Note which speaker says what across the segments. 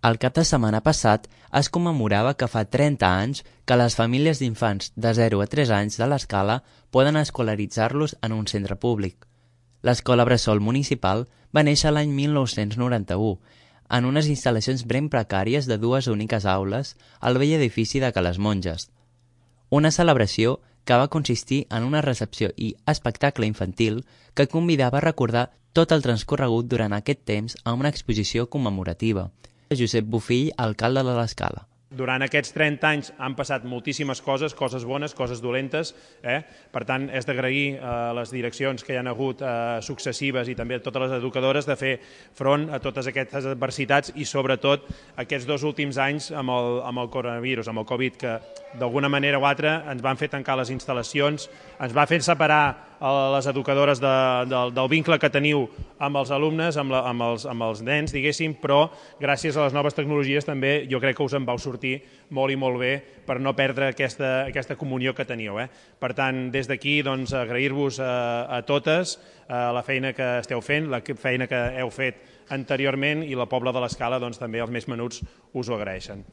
Speaker 1: El cap de setmana passat es commemorava que fa 30 anys que les famílies d'infants de 0 a 3 anys de l'Escala poden escolaritzar-los en un centre públic. L'Escola Bressol Municipal va néixer l'any 1991 en unes instal·lacions ben precàries de 2 úniques aules al vell edifici de Cales Monges. Una celebració que va consistir en una recepció i espectacle infantil que convidava a recordar tot el transcorregut durant aquest temps a una exposició commemorativa. Josep Bofill, alcalde de l'Escala.
Speaker 2: Durant aquests 30 anys han passat moltíssimes coses bones, coses dolentes. Per tant, és d'agrair a les direccions que hi han hagut successives i també a totes les educadores de fer front a totes aquestes adversitats i sobretot aquests 2 últims anys amb el coronavirus, amb el Covid, que d'alguna manera o altra ens van fer tancar les instal·lacions, ens va fer separar les educadores del vincle que teniu amb els alumnes, amb els nens, diguéssim, però gràcies a les noves tecnologies també jo crec que us en vau sortir molt i molt bé per no perdre aquesta comunió que teníeu. Per tant, des d'aquí agrair-vos a totes la feina que esteu fent, la feina que heu fet anteriorment i la Pobla de l'Escala també els més menuts us ho agraeixen.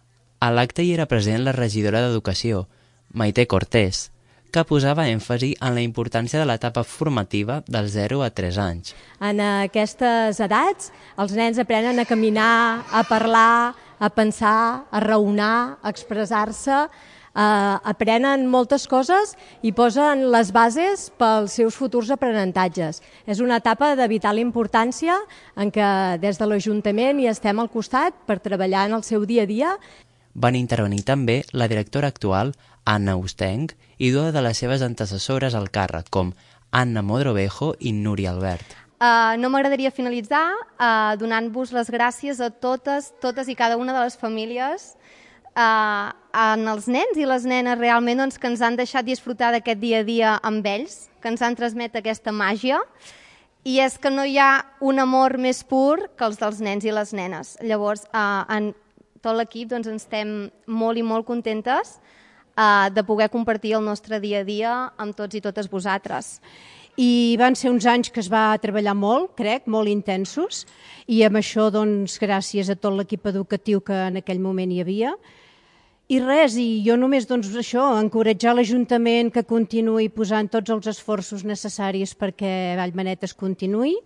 Speaker 1: A l'acte hi era present la regidora d'Educació, Maite Cortés, que posava èmfasi en la importància de l'etapa formativa dels 0 a 3 anys.
Speaker 3: En aquestes edats, els nens aprenen a caminar, a parlar, a pensar, a raonar, a expressar-se, aprenen moltes coses i posen les bases pels seus futurs aprenentatges. És una etapa de vital importància en què des de l'Ajuntament hi estem al costat per treballar en el seu dia a dia.
Speaker 1: Van intervenir també la directora actual, Anna Ustenc, i 2 de les seves antecessores al càrrec, com Anna Modrovejo i Núria Albert.
Speaker 4: No m'agradaria finalitzar donant-vos les gràcies a totes i cada una de les famílies, als nens i les nenes realment que ens han deixat disfrutar d'aquest dia a dia amb ells, que ens han transmet aquesta màgia, i és que no hi ha un amor més pur que els dels nens i les nenes. Llavors, en tot l'equip ens estem molt i molt contentes de poder compartir el nostre dia a dia amb tots i totes vosaltres.
Speaker 5: I van ser uns anys que es va treballar molt, crec, molt intensos, i amb això, gràcies a tot l'equip educatiu que en aquell moment hi havia. I res, i jo només, això, encoratjar l'Ajuntament que continuï posant tots els esforços necessaris perquè Vallmanetes continuï,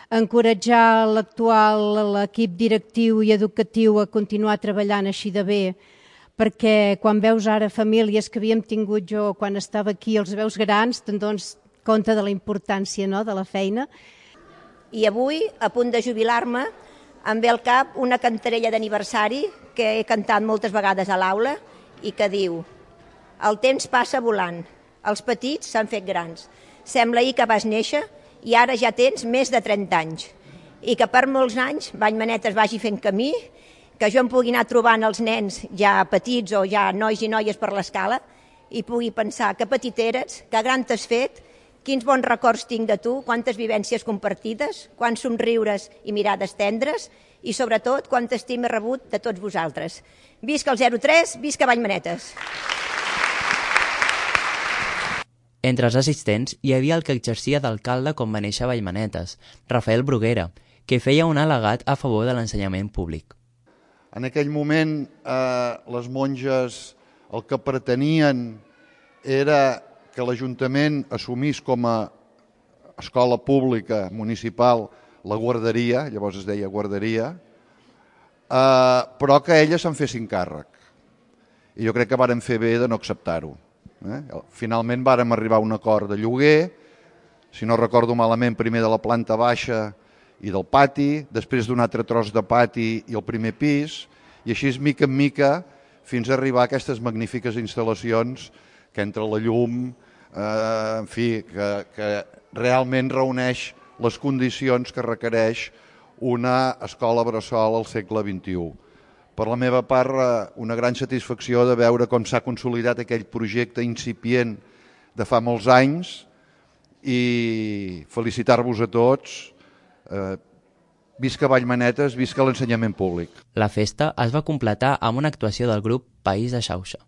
Speaker 5: encoratjar l'equip directiu i educatiu a continuar treballant així de bé, perquè quan veus ara famílies que havíem tingut jo quan estava aquí, els veus grans, te'n dones compte de la importància de la feina.
Speaker 6: I avui, a punt de jubilar-me, em ve al cap una cantarella d'aniversari que he cantat moltes vegades a l'aula i que diu: el temps passa volant, els petits s'han fet grans, sembla ahir que vas néixer i ara ja tens més de 30 anys. I que per molts anys Vallmanetes vagi fent camí, que jo em pugui anar trobant els nens ja petits o ja nois i noies per l'Escala i pugui pensar que petit eres, que gran t'has fet, quins bons records tinc de tu, quantes vivències compartides, quants somriures i mirades tendres i sobretot quanta estima he rebut de tots vosaltres. Visca el 03, visca Vallmanetes!
Speaker 1: Entre els assistents hi havia el que exercia d'alcalde quan va néixer a Vallmanetes, Rafael Bruguera, que feia un al·legat a favor de l'ensenyament públic.
Speaker 7: En aquell moment les monges el que pretenien era que l'Ajuntament assumís com a escola pública municipal la guarderia, llavors es deia guarderia, però que elles se'n fessin càrrec. I jo crec que vàrem fer bé de no acceptar-ho. Finalment vàrem arribar a un acord de lloguer, si no recordo malament, primer de la planta baixa i del pati, després d'un altre tros de pati i el primer pis, i així mica en mica fins a arribar a aquestes magnífiques instal·lacions que entre la llum, en fi, que realment reuneix les condicions que requereix una escola bressol al segle XXI. Per la meva part, una gran satisfacció de veure com s'ha consolidat aquell projecte incipient de fa molts anys i felicitar-vos a tots. Visca Vallmanetes, visca l'ensenyament públic.
Speaker 1: La festa es va completar amb una actuació del grup País de Xauxa.